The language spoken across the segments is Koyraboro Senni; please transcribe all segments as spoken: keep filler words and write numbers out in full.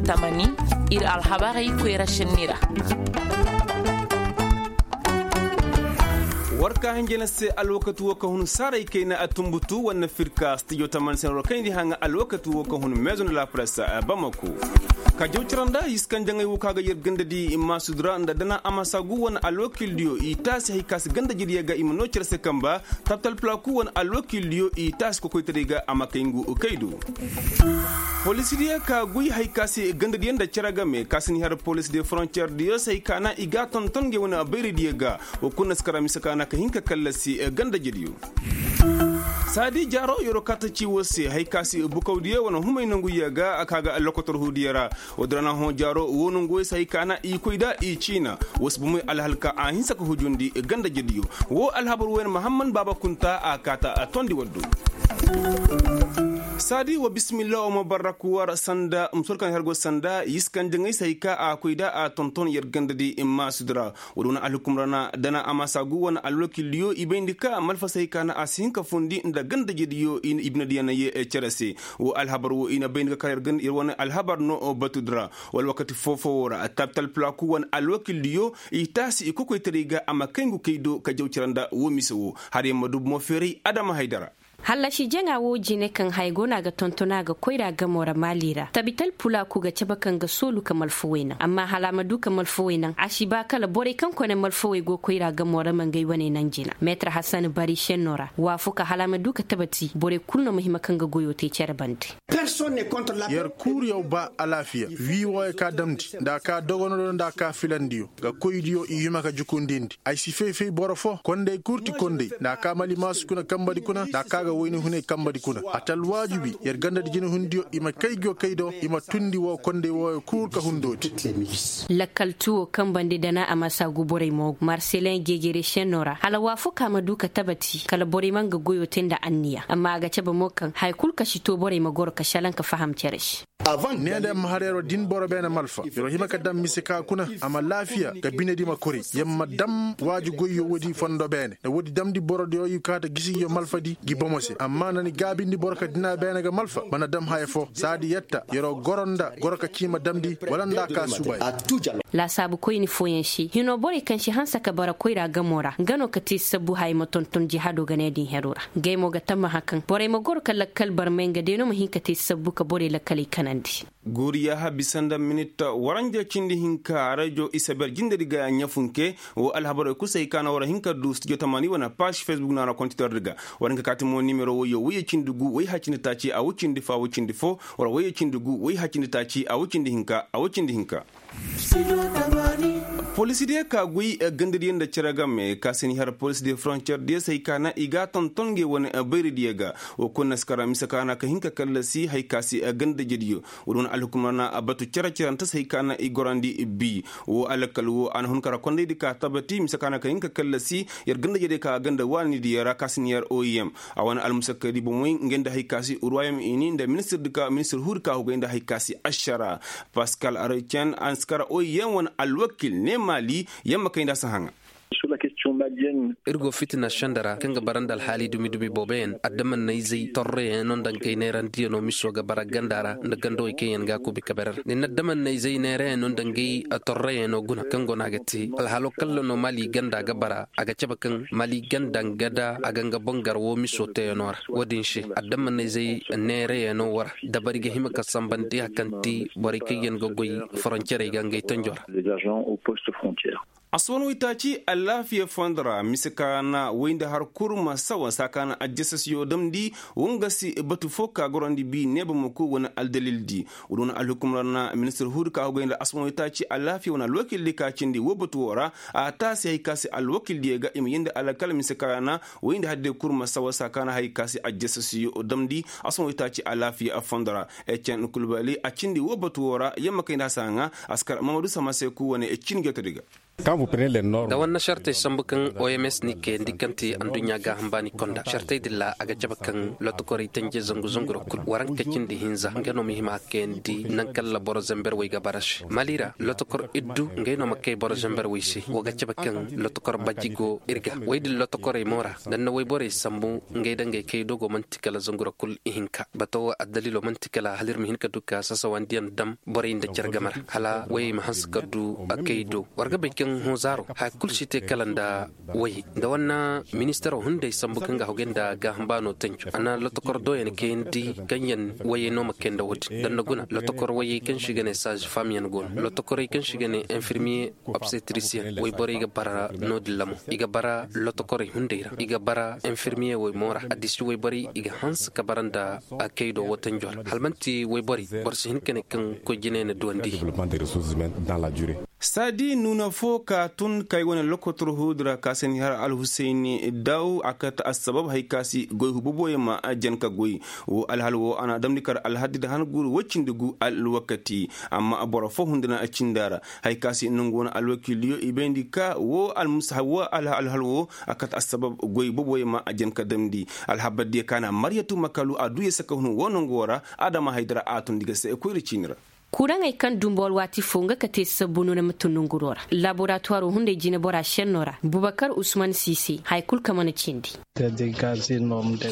Tamani, ir alhabarey koyra šenni ra. War ka hinjina se alwakati wo ka hun saaray kayna a tumbutu wane firka stijo tamani se na war kayndi haŋa alwakati wo ka hun maison de la presse. Bamako ka jaw cara nda hiskanjaŋey wo ka ga yer ganda di maasud ra nda dana amasa gu wane alwakildiyo i taasi hay ka si ganda jediyo ga i ma noo care se kamba. Tabtal plaku wane alwakildiyo i taasi kokoytaray ga a ma kay ngu kay do. Poliisidiyo ka guy hay ka se gandadiyo nda cere game ka si ni har poliisi de frontiyeer diyo se hay ka na i ga a tonton ngey wane bayridiyo ga. Wa kulu na si kara mise ka na ka hin ka kallasi gandajediyo. Saadi jaaro yeroo kaata ci woo se hay ka se bukawdiyo wane humay nonguyo ga a ka ga lokotor huudiyo ra. Woo dira na hõ jaaro woo nonguyo se hay ka na i koy da i ciina. Woo se bomey alhal ka a hinsa ka hujundi gandajediyo. Woo alhabar wooyaŋ mahamman baaba kunta a kaata a tondi waddu. Saadi wa bismillah wa mubarak war sanda musor kaŋ har go sanda yiskanjaŋey se hay ka a koy da a tonton yer ganda di maasudi ra. Woo di wane alhukum ra na dana a ma saagu wane alwakildiyo i bayndi ka malfa se hay ka na a si hin ka fundi nda gandajediyo i binediyo na ye cere se. Woo alhabar woo i na bayndi ka kar yer wane alhabar no batudi ra. Wala wakati foo-foo woo ra tabtal plaku wane alwakildiyo i taasi i kokoytaray ga a ma kay ngu kay do ka jaw cere nda woo mise woo. Har yer ma du bomo feeray adama haydara. Hallasi jaŋa woo jine kaŋ haya go no a ga tonton a ga koyra gamo ra maali ra tabital pulaaku ga cabe kaŋ ga soolu ka malfawey naŋ amma hala a ma du ka malfawey naŋ a si ba kala borey kaŋ kone malfawey go koyra gamo ra ma ngey wane naŋ jina meetar hasan bari senno ra waafuka hala a ma du ka tabati borey kulu no ma hima kaŋ ga goyoo te cere bande. Yer kuuriyaw ba alaafiya wii wooyo ka damndi nda a ka dogonodiyo nda a ka filandiyo ga koydiyo i hima ka jukundindi ay si fay-fay boro foo kondey kul ti kondey nda a ka malimaasu kuna kambadi kuna nda a ka ga wayna hunay kambadi kuna a ti alwaajibi yer gandadi jinahundiyo i ma kay go kay do i ma tundi woo kondey wooyo kul ka hundoodi. Lakkal tuwo kambandi dana a ma saagu borey moogu marselin jejere senno ra hala waafaka ma du ka tabati kala borey ma nga goyoo te nda anniya amma a ga cabe mo kaŋ haya kul ka si too borey ma goro ka šalaŋ ka faham cere se. Ne nda yer ma har yer wa din boro beene malfa yer wa hima ka dam mise ka kuna a ma laafiya ga binedi ma koray yer ma dam waaji goyyo woodi fondo beene nda woodi damndi borodiyo i kaata gisigiyo malfadi ngi bomo se amma na ni gaabindi boro ka dina beene ga malfa mana dam haya foo saadi yetta yer wa goro nda goro ka ciima damndi wala nda a ka suubaay. Laasaabu koyni fooyaŋ se hinoo borey kaŋ si hanse ka bara koyra gamoo ra nga no ka te sabbu haya ma tonton jihaadoo ga ne din heroo ra. Ngey mo ga tammaha kaŋ borey ma goro ka lakkal barmay nga day no ma hin ka te sabbu ka borey lakkaley kanandi. Guuri yaaha bisa nda minit waranja cindi hinka rejo isaber jindedi ga ɲafunke. Woo alhabarey kul se hay ka na war hin ka du studio tamani wane paaz facebook naana kontitordi ga. War hin ka kaati mo nimero woyyo woyye cindi gu woy haya cindi taaci a woy cindi fo a woy cindi fo. War woyye cindi gu woy haya cindi taaci a woy cindi hinka a woy cindi hinka. Poliisidiyo ka goy gandadiyo nda cere game ka se ni har poliisi de frontiyeer diyo se hay ka na i ga a tonton ngey wane bayridiyo ga. Woo kul na si kara mise ka na ka hin ka kallasi hay ka se gandajediyo. Woo di wane alhukum ra na batu cere-cerante se hay ka na i gorandi bi. Woo alkal woo a na hun kara kondaydi ka tabati mise ka na ka hin ka kallasi yer gandajediyo ka ganda waanidiyo ra ka se ni har oim. A wane almusakkadi bomey ngey nda hay ka se ruwayom ini nda ministirdi ka ministir huudi ka hugay nda hay ka se ašara. Paskal arecen a na si kara oim wane alwakil ne maali. Yer ma kay nda a si haŋa. Ir go fitina senda ra kaŋ ga bara nda alhaali dumi-dumi booboyaŋ adamannayzey torroyaŋ no nda ngey neerandiyaŋo miso ga bara ganda ra nda gandawey kaŋ yaŋ ga a kuubi kabe ra ni na adamannayzey neerayaŋo nda ngey torroyaŋo guna kaŋ go no a ga te alhalo kalla no maali ganda ga bara a ga cabe kaŋ maali ganda nga da a ga nga boŋ gar woo miso teeyaŋo ra. Woo din se adamannayzey neerayaŋo woo ra dabari ga hima ka sambandi hari kaŋ ti borey kaŋ yaŋ ga goy foroncerey ga ngey tanjo ra. Aswan waytaaci alaafiya fondo ra mise ka na way nda har kurma sawa saa ka na ajjasasiyo damndi. Woo nga se batu fo ka gorandi bi neeba ma koy wane aldalildi. Woo di wane alhukum ra na ministir huudi ka hugay nda aswan waytaaci alaafiya wane alwakildi ka cindi woo batu woo ra. A taasi hay ka se alwakildiyo ga i ma yee nda alkala mise ka na way nda hadde kurma sawa saa ka na hay ka se ajjasasiyo damndi. Aswan waytaaci alaafiya fondo ra ecen kulbali a cindi woo batu woo ra yer ma kay nda a si haŋa. A si kar mamadu sama se ku wane cin jotodi ga. Da wanna sartey sambu kaŋ oms ni kayandi kaŋ ti adduɲɲa gaaham baani konda sartey din ra a ga cabe kaŋ lotokorey tanje zangu zangu ra kul waranka cindi hinza nga no ma hima a kayandi nangu kaŋ ra boro zamber wey ga bara se mali ra lotokor iddu ngey no ma kay boro zamber wey se wo ga cabe kaŋ lotokor baji go ir ga wey din lotokorey mo ra da ni na wayborey sambu ngey da ngey kay dogo man'ti kala zangu ra kul ihinka bata wo addaliilo man'ti kala hala ir ma hin ka du ka sasawandiyaŋ dam borey nda care game ra hala wayey ma hanse ka du a kay do war ga bay kaŋ hõ zaaro haya kul si te kala nda wayey nda wanna ministaro hunday sambu kaŋ ga hogay nda gaaham baano tanjo a na lotokor dooyaŋ kayandi kaŋ yaŋ wayey no ma kay nda wo-din da ni na guna lotokor wayey kaŋ se i ga ne saazi faamyaŋ go no lotokorey kaŋ se i ga ne infirmiye obsetrisiyen wayborey ga bara no-din ra mo i ga bara lotokorey hunday ra i ga bara infirmiye wey mo ra addisi wayborey i ga hanse ka bara nda a kay do wo tanjo ra hala man'ti wayborey boro si hin ka ne kaŋ koy jinay na duwandi. Saadi nuuna fo ka tun kay wane lokotor huudi ra ka se ni har alhusayni daw a kate assabab hari ka se goy hububoyaŋ ma jan ka goy wo alhal wo a na damndi kar alhaddi nda han guuru woy cindi gu alwakati amma boro fo hundu na a cinda ra hari ka se nangu wane alwakiiliyo i bayndi ka wo alhal wo a kate assabab goy boboyaŋ ma a jan ka damndi alhabar diya ka na maryatu makalu a duu ya saka hun wo nangu wo ra adama haydara a tundi ga se koyra ciini ra. Kuraŋey kaŋ dumbu alwaati fo nga ka te sabbu no na ma tun nonguro ra laboratuwaro hunday jinebora šenno ra bubakar usman siise haya kul ka mana cindi.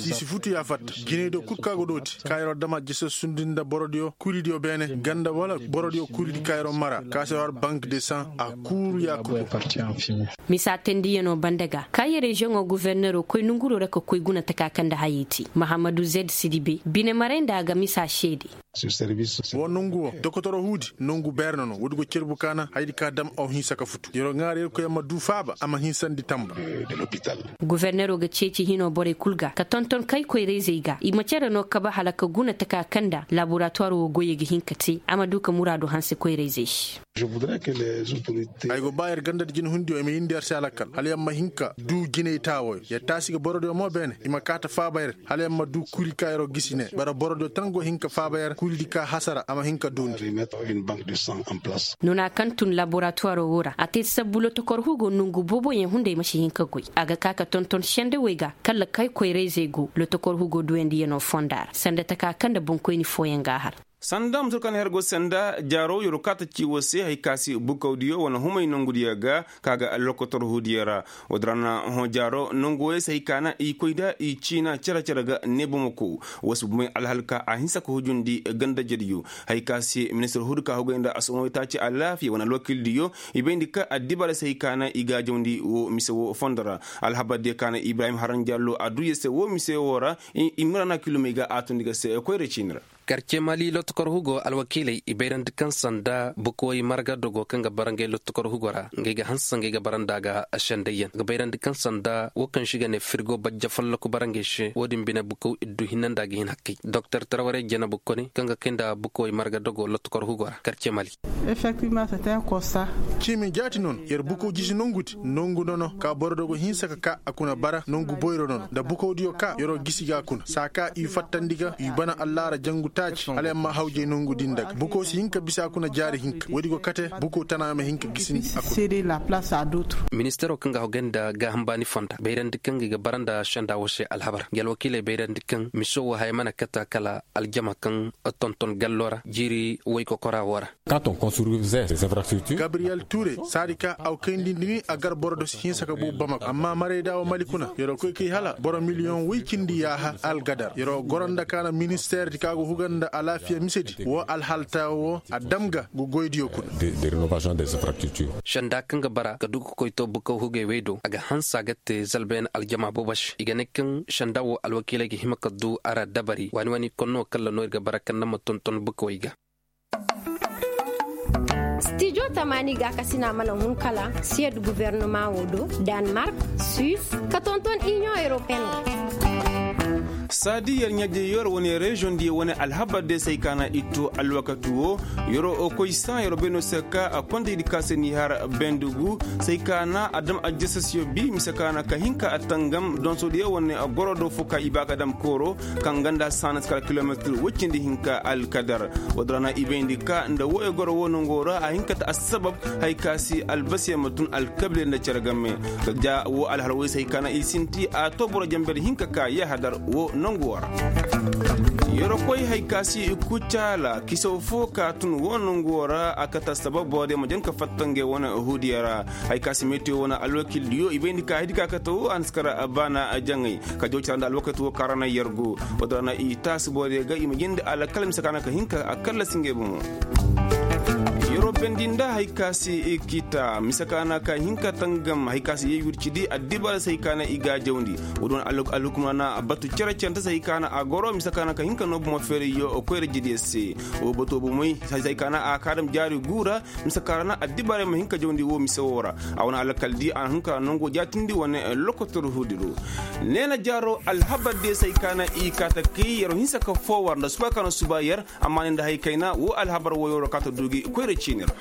Siisi futu ya fatta jiney do kul kaŋ a go dooti kaayaro dama jese sundi nda borodiyo kuuridiyo beene ganda wala borodiyo kuuridi kaayaro mara ka se war bank de san a kuuru ya kul. Misa tendiyanoo banda ga kaayi reziyoŋo gofornero koy nonguro ra ka koy guna taka kaŋ nda hayey te mahammadu zed sidibe bine maray nda a ga misa seede. Wo nongu wo dokotoro huudi nongu beerno no woodi go cerbu kaana hayadi ka dam aw hinsa ka futu yero ŋaara yerkoy a ma duu faaba a ma hinsandi tamba. Gofornero ga ceeci hinoo borey kul ga ka tonton kay koyra-izey ga i ma cere no kabe hala ka guna taka kaŋ nda laboratuwaroo goyey ga hin ka te a ma duu ka muraadu hanse koyra-izey se. Ay go ba yer ganda nda jinehundiyo i ma yindi yer se a lakkal hala yer ma hin ka duu jinay taawoyo yer taasi ga borodiyo mo beene i ma kaa ta faaba yer hala yer ma duu kuuri ka yeroo gisi ne bara borodiyo tan go hin ka faaba yer kuuridi ka hasara a ma hin ka duundi. Noona kaŋ tun laboratuwaroo woo ra a te sabbu lotokor hugoo nongu booboyaŋ hunday ma si hin ka goy a ga kaa ka tonton sendewey ga kala kay koyra-izey go lotokor hugoo duuyandiyanoo fonda ra sanda taka kaŋ nda boŋkoyni fooyaŋ g'a har. Sanda mutur kaŋ na her go sanda jaaro yeroo kaata ci woo se hari ka se bukawdiyo wane humay nongudiyo ga ka ga lokotor huudiyo ra. Woodin ra na hõ jaaro nongu wooyey se hari ka na i koy nda i ciina cere-cere ga ne bomo koo woo se bumey alhal ka a hinsa ka hujundi ganda jediyo hari ka se ministir huudi ka hugay nda asumawey taaci alaafiya wane alwakiildiyo i bayndi ka addibaarey se hari ka na i gaajawndi woo mise woo fondo ra. Alhabardiyo ka na ibrahim haran jallo a duu yer se woo mise woo ra i mira na kilomey ga a tundi ga se koyra ciini ra. Karce mali lotokor hugo alwakiiley i bayrandi kaŋ sanda bukawey marga dogo kaŋ ga bara ngey lotokor hugo ra ngey ga hanse ngey ga bara nda a ga sendayyaŋ ga bayrandi kaŋ sanda woo kaŋ se i ga ne firgo bajja folloku bara ngey se woo din bine bukaw iddu hinne nda a ga hin hakkey doktor tarwarey janabu kone kaŋ ga kay nda bukawey marga dogo lotokor hugo ra karce mali. Ciimi jaati no no yer bukaw jisi nongudi nongu no no ka boro dogo hinsa ka ka a kuna bara nongu boyro no no nda bukawdiyo ka yeroo gisi ga a kuna saa ka i fattandi ga i bana allaara jangu taaci hala yer ma hawjay nongudi nda ga bukaw si hin ka bisa a kuna jaari hinka woodi go kate bukaw tana ma hin ka gisindi a kuna. Ministaroo kaŋ ga hogay nda gaaham baani fonda bayrandi kaŋ ga i ga bara nda senda woo se alhabar ngi alwakiiley bayrandi kaŋ miso woo haya mana kata kala aljama kaŋ tonton galloo ra jiiri woy kokoraa woo ra. Gabriyel ture saadi ka aw kayndi nda ni a gar boro do si hinsa ka buu bamako amma marayda wo mali kuna yeroo koy kay hala boro miliyoŋ woy cindi yaaha algadar yeroo goro nda ka na ministeerdi ka go huga nda alaafiya misedi woo alhalta woo a dam ga ga goydiyo kuna. Senda kaŋ ga bara ga du ga koy to bukaw hugey wey do a ga hanse a ga te zalbayaŋ aljama boobo se i ga ne kaŋ senda woo alwakiiley ga hima ka du a ra dabari waani waani konno kalla no ir ga bara kaŋ na ma tonton bukawey ga. Stijo tamaani gaakasina mana hun kala siyed gubernama wo do, danmark, suis, ka tonton iniyoŋ europeen ga. Saadi yer ɲaje yer wane reziyoŋ diyo wane alhabar diyo se hay ka na i to alwakati wo. Yer koy saŋ yer bay no se ka a konda i di ka se n'i har bendugu se hay ka na a dam aljasasiyo bi mise ka na ka hin ka a tangam donso diyo wane goro do fo ka i ba ka dam kooro kaŋ ganda saana si kala kilometir woy cindi hinka alkadar. Woo din ra na i bayndi ka nda wooyo goro woo nangoo ra a hin ka ta assabab hay ka se albasiyaŋ ma tun alkabiley nda cere game. Ka ja woo alhal woy se hay ka na i sinti a to boro janber hinka ka yahadar woo nangoo ra. Yer koy hay ka se i kucaala kisaw foo ka tun woo nangoo ra a kate assabab borodiyo ma jan ka fatta ngey wane huudiyo ra. Hay ka se metiyo wane alwakil diyo i bayndi ka hay di ka kate woo a na si kar baana jaŋay. Ka jaw cara nda alwakati woo ka ra na yer go. Woo din ra na i taasi borodiyo ga i ma jindi alkal mise ka na ka hin ka a kallasi ngey bomo. Yer bendi nda hay ka se i kita mise ka na ka hin ka tangam hay ka se yee wircidi addibaara se hay ka na i ga a jawndi. Woo din wane alhukumra na batu cere-cere nda se hay ka na a goro mise ka na ka hin ka noo bomo feerayyo koyra jidiyo se. Woo bato bomoy se hay ka na a ka dam jaari guu ra mise ka ra na addibaarey ma hin ka jawndi woo mise woo ra. A wane alkaldi a na hin ka nangoo jaatindi wane lokotor huudi do. Neena jaaro alhabar diyo se hay ka na i kaa ta kay yer hinsa ka foo war nda suba ka na suba yer. Amma ne nda hay kayna woo alhabar wooyo ra kaa ta duu gi koyra ciini ra.